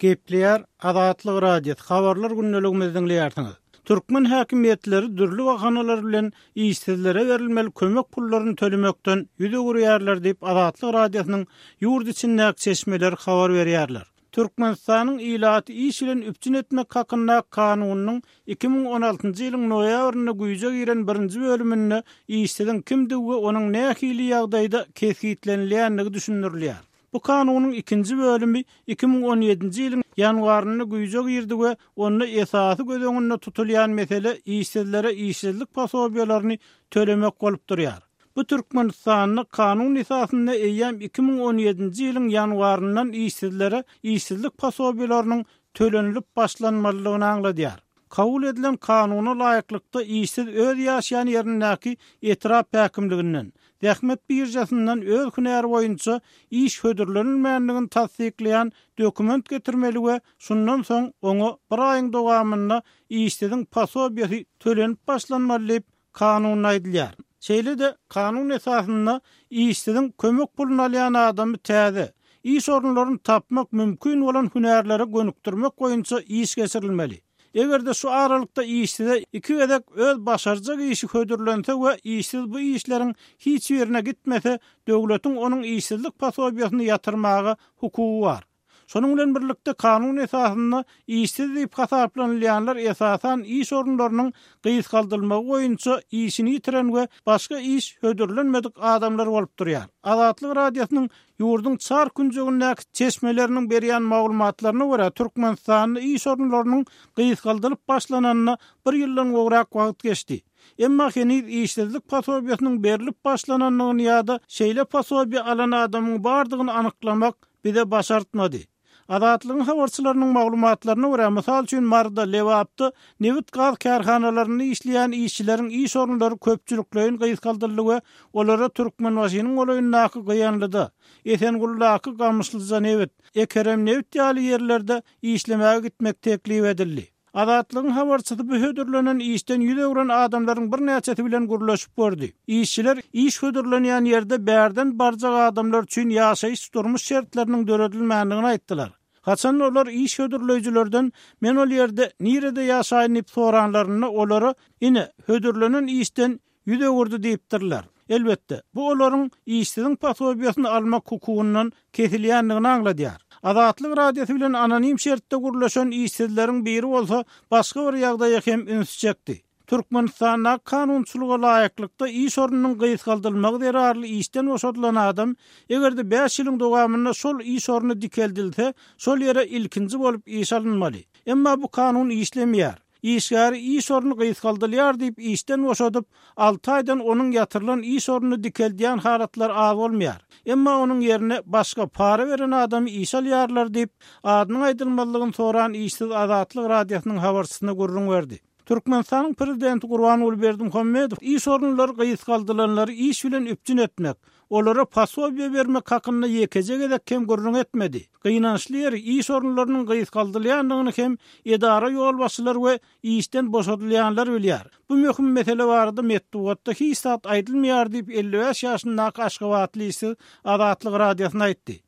Gepleýär Azatlyk Radiosy, Habarlar gündeligimizi diňleýärsiňiz. Türkmen häkimiýetleri dürli bahanalar bilen işsizlere berilmeli kömek pullaryny tölemekden ýüz öwürýärler diýip, Azatlyk Radiosynyň ýurt içindäki çeşmeleri habar berýärler. Türkmenistanyň Ilaty iş bilen üpjün etmek hakynda Kanunynyň 2016-njy ýylyň noýabrynda güýje giren birinji bölüminde işsiziň kimdigi we onuň nähili ýagdaýda kesgitlenilýändigi düşündirilýär. Bu Kanunyň ikinji bölümi 2017-nji ýylyň ýanwarynda güýje girdi we onda esasy göz öňünde tutulýan mesele işsizlere işsizlik posobiýalaryny tölemek bolup durýar. Bu Türkmenistanda kanun esasynda eýýäm 2017-nji ýylyň ýanwaryndan işsizlere işsizlik posobiýalarynyň tölenilip başlanmalydygyny aňladýar. Kabul edilen kanuna laýyklykda işsiz öz ýaşaýan ýerindäki etrap häkimliginden, zähmet biržasyndan öz hünäri boýunça iş hödürlenilmändigini tassyklaýan dokument getirmeli we şundan soň oňa bir aýyň dowamynda işsiziň posobiýasy tölenip başlanmaly diýip, Kanunda aýdylýar. Şeýle-de, kanun esasynda işsiziň kömek puluny alýan adamy täze, iş orunlaryny tapmak mümkin bolan hünärlere gönükdirmek boýunça iş geçirilmeli. Eger-de şu aralykda işsize iki gezek öz başarjak işi hödürlense we işsiz bu işleriň hiç birine gitmese, döwletiň onuň işsizlik posobiýasyny ýatyrmaga hukugy bar. Şonuň bilen birlikde, kanun esasynda işsiz diýip hasaplanylýanlar esasan iş orunlarynyň gysgaldylmagy boýunça işini ýitiren we başga iş hödürlenmedik adamlar bolup durýar. Azatlyk Radiosynyň ýurduň çar künjegindäki çeşmeleriniň berýän maglumatlaryna görä, Türkmenistanda iş orunlarynyň gysgaldylyp başlananyna bir ýyldan gowrak wagt geçdi. Emma heniz işsizlik posobiýasynyň berlip başlanandygyny ýa-da şeýle posobiýa alan adamyň bardygyny anyklamak bize başartmady. Azatlygyň habarçylarynyň maglumatlaryna görä, mysal üçin, Maryda, Lebapda nebit-gaz kärhanalarynda işleýän işçileriň iş orunlary köpçülikleýin gysgaldyldy we olara Türkmenbaşynyň golaýyndaky Gyýanlyda, Esenguldaky Gamyşlyjanebit, Ekeremnebit ýaly ýerlerde işlemäge gitmek teklip edildi. Azatlygyň habarçysy bu hödürlenen işden ýüz öwren adamlaryň birnäçesi bilen gürleşip gördi. Işçiler iş hödürlenýän ýerde bärden barjak adamlar üçin ýaşaýyş-durmuş şertleriniň döredilmändigini aýtdylar. Haçanda olar iş hödürleýjilerden men ol ýerde nirede ýaşaýyn diýip soranlarynda olara ine, hödürlenen işden ýüz öwürdi diýipdirler. Elbetde, bu olaryň işsiziň posobiýasyny almak hukugyndan kesilýändigini aňladýar. Azatlyk Radiosy bilen anonim şertde gürleşen işsizleriň biri bolsa başga bir ýagdaýa hem ünsi çekdi. Türkmenistandaky kanunçylyga laýyklykda iş ornunyň gysgaldylmagy zerarly işden boşadylan adam, eger-de bäş ýylyň dowamynda şol iş orny dikeldilse, şol ýere ilkinji bolup işe alynmaly. Emma bu kanun işlemeýär. Işgäri iş orny gysgaldylýar diýip işden boşadyp, alty aýdan onuň ýatyrylan iş ornuny dikeldýän halatlar az bolmaýar. Emma onuň ýerine başga, para beren adamy işe alýarlar diýip, adynyň aýdylmazlygyny soran işsiz Azatlyk Radiosynyň habarçysyna gürrüň berdi. Türkmenistanyň prezidenti Gurbanguly Berdimuhamedow iş orunlary gysgaldylanlary iş bilen üpjün etmek, Olara posobiýe bermek hakynda ýekeje gezek hem gürrüň etmedi. Gynançly ýeri, iş orunlarynyň gysgaldylýandygyny hem edara ýolbaşçylary we işden boşadylýanlar bilýär. Bu möhüm mesele barada metbugatda hiç zat aýdylmaýar diýip, 55 ýaşyndaky aşgabatly işsiz Azatlyk Radiosyna aýtdy.